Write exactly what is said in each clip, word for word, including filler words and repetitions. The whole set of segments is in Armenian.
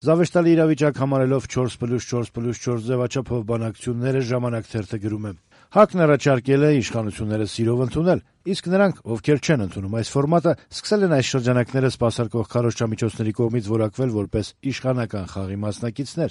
Զավեշտալի իրավիճակ համարելով չորս պլյուս չորս պլյուս չորս ձևաչափով բանակցությունները «Ժամանակ» թերթը գրում է. ՀԱԿ-ն առաջարկել է իշխանությունները սիրով ընդունել, իսկ նրանք, ովքեր չեն ընդունում այս ֆորմատը, սկսել են այս շրջանակները սպասարկող քարոզչամիջոցների կողմից որակվել որպես իշխանական խաղի մասնակիցներ։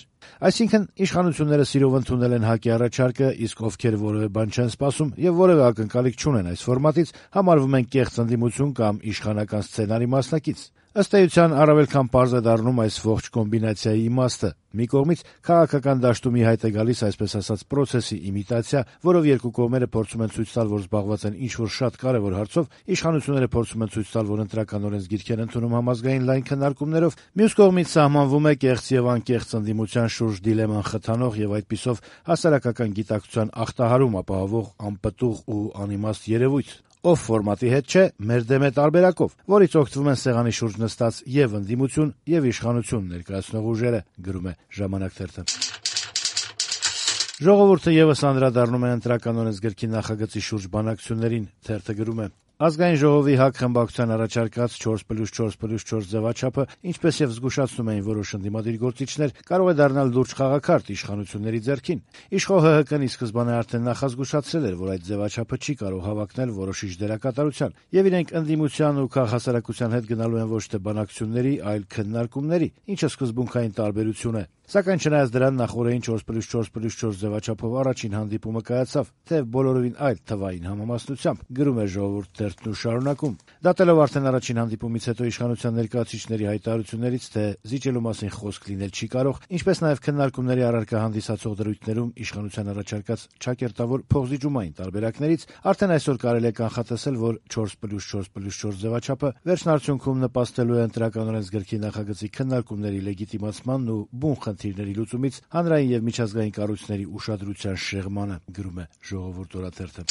Այսինքն, իշխանությունները սիրով ընդունել են ՀԱԿ-ի առաջարկը, իսկ ովքեր որևէ բան չեն սպասում եւ որևէ ակնկալիք չունեն այս ֆորմատից, համարվում են կեղծ ընդդիմություն կամ իշխանական սցենարի մասնակից։ Ըստ էության, առավել քան պարզ է դառնում այս ողջ կոմբինացիայի իմաստը։ Մի կողմից քաղաքական դաշտում ի հայտ է գալիս այսպես ասած պրոցեսի իմիտացիա, որով երկու կողմերը փորձում են ցույց տալ, որ զբաղված են ինչ-որ շատ կարեւոր հարցով, իշխանությունները փորձում են ցույց տալ, որ ընտրական օրենսգիրք են ընդունում համազգային լայն քննարկումներով, մյուս կողմից սահմանվում է կեղծ եւ անկեղծ ընդդիմության շուրջ դիլեման խթանող եւ այդպիսով հասարակական գիտակցության ախտահարում ապահովող անպտուղ ու անիմաստ երևույթ, ով ֆորմատի հետ չէ, մեր դեմ է տարբերակով, որից օգտվում են սեղանի շուրջ նստած եւ ընդդիմություն եւ իշխանություն ներկայացնող ուժերը, գրում է «Ժամանակ» թերթը։ Ժողովուրդը եւս անդրադառնում է ընտրական օրենսգրքի նախագծի շուրջ բանակցություններին, թերթը գրում է. Ազգային ժողովի ՀԱԿ խմբակցության առաջարկած չորս պլյուս չորս պլյուս չորս ձևաչափը, ինչպես եւ զգուշացնում էին որոշ ընդդիմադիր գործիչներ, կարող է դառնալ լուրջ խաղաքարտ իշխանությունների ձեռքին։ Իշխող ՀՀԿ-ն ի սկզբանե արդեն նախազգուշացրել էր, որ այդ ձևաչափը չի կարող հավակնել որոշիչ դերակատարության, եւ իրենք ընդդիմության ու քաղաքասարակության հետ գնալու են ոչ թե բանակցությունների, այլ քննարկումների, ինչը սկզբունքային տարբերություն է։ Սակայն չնայած դրան նախորդին չորս պլյուս չորս պլյուս չորս ձևաչափով առաջին հանդիպումը կայացավ, թեև բոլորովին այլ թվային համամասնությամբ, գրում է «Ժողովուրդ» թերթն ու շարունակում. Դատելով արդեն առաջին հանդիպումից հետո իշխանության ներկայացուցիչների հայտարարություններից, թե զիջելու մասին խոսք լինել չի կարող, ինչպես նաև քննարկումների առարկա հանդիսացող դրույթներում իշխանության առաջարկած ճակերտավոր փոխզիջումային տարբերակներից, արդեն այսօր կարելի է կանխատեսել, որ չորս պլյուս չորս պլյուս չորս ձևաչափը վերջնարդյունքում նպաստելու է ընտրական օրենսգրքի նախագծի քննարկումների լեգիտիմացմանն ու բուն խնդիրների լուծումից հանրային եւ միջազգային կառույցների ուշադրության շեղմանը, գրում է «Ժողովուրդ» օրաթերթը։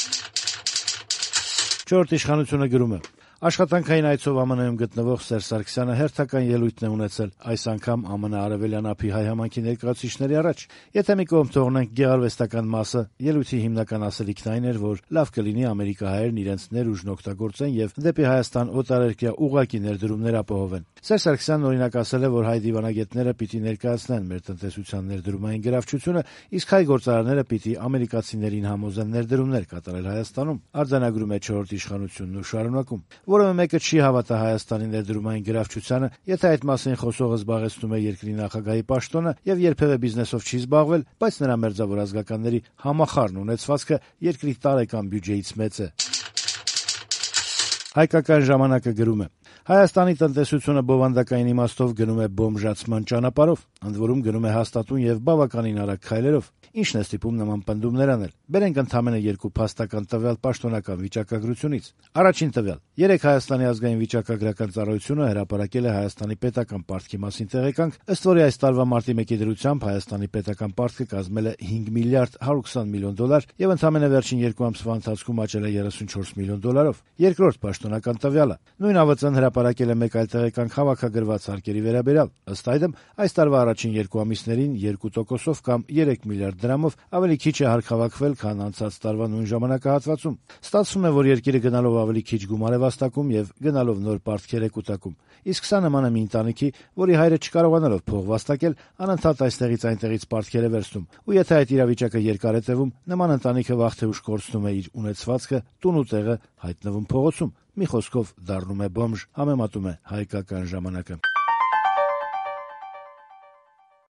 Չորրորդ իշխանությունը գրում է. Աշխատանքային այցով ԱՄՆ-ում գտնվող Սերժ Սարգսյանը հերթական ելույթ է ունեցել, այս անգամ ԱՄՆ արևելյան ափի հայ համայնքի ներկայացուցիչների առաջ։ Եթե մի կողմ թողնենք գեղարվեստական մասը, ելույթի հիմնական ասելիքն այն էր, որ լավ կլինի ամերիկահայերն իրենց ներուժն օգտագործեն եւ դեպի Հայաստան օտարերկրյա ուղղակի ներդրումներ ապահովեն։ Սերժ Սարգսյանն օրինակ ասել է, որ հայ դիվանագետները պիտի ներկայացնեն մեր տնտեսության ներդրումային գրավչությունը, իսկ հայ գործարանները պիտի ամերիկացիներին համոզեն ներդրումներ կատարել Հայաստանում։ Արձանագրում է չորրորդ իշխանությունն ու շարունակում. Որևէ մեկը չի հավատա Հայաստանի ներդրումային գրավչությանը, եթե այդ մասին խոսողը զբաղեցնում է երկրի նախագահի պաշտոնը եւ երբեւե բիզնեսով չի զբաղվել, բայց նրա մերձավոր ազգականների համախառն ունեցվածքը երկրի տարեկան բյուջեից մեծ է։ Հայկական ժամանակը գրում է. Հայաստանի տնտեսությունը բովանդակային իմաստով գնում է բոմժացման ճանապարհով, ընդ որում գնում է հաստատուն եւ բավականին արագ քայլերով։ Ինչն է ստիպում նման պնդումներ անել։ Բերենք ընդամենը երկու փաստական տվյալ պաշտոնական վիճակագրությունից։ Առաջին տվյալ. երեկ Հայաստանի ազգային վիճակագրական ծառայությունը հրապարակել է Հայաստանի պետական պարտքի մասին տեղեկանք, ըստ որի այս տարվա մարտի մեկի դրությամբ Հայաստանի պետական պարտքը կազմել է հինգ միլիարդ հարյուր քսան միլիոն դոլար եւ ընդամենը վերջին երկու ամսվա ընթացքում աճել է երեսունչորս միլիոն դոլարով։ Երկրորդ պաշտոնական տվյալը. նույն ԱՎԾ-ն հրապարակել է մեկ այլ տեղեկանք հավաքագրված հարկերի վերաբերյալ։ Ըստ այդմ, այս տարվա առաջին երկու ամիսներին երկու տոկոսով կամ երեք միլիարդ դրամով ավելի քիչ է հարկ հավաքվել, քան անցած տարվա նույն ժամանակահատվածում։ Ստացվում է, որ երկիրը գնալով ավելի քիչ գումար է վաստակում եւ գնալով նոր պարտքեր է կուտակում։ Իսկ սա նման է մի ընտանիքի, որի հայրը չկարողանալով փող վաստակել, անընդհատ այստեղից այնտեղից պարտքեր է վերցնում։ Ու եթե այդ իրավիճակը երկար է տևում, նման ընտանիքը վաղ թե ուշ կորցնում է իր ունեցվածքը, տուն ու տեղը հայտնվում փողոցում։ Մի խոսքով դառնում է բոմժ, համեմատում է Հայկական ժամանակը։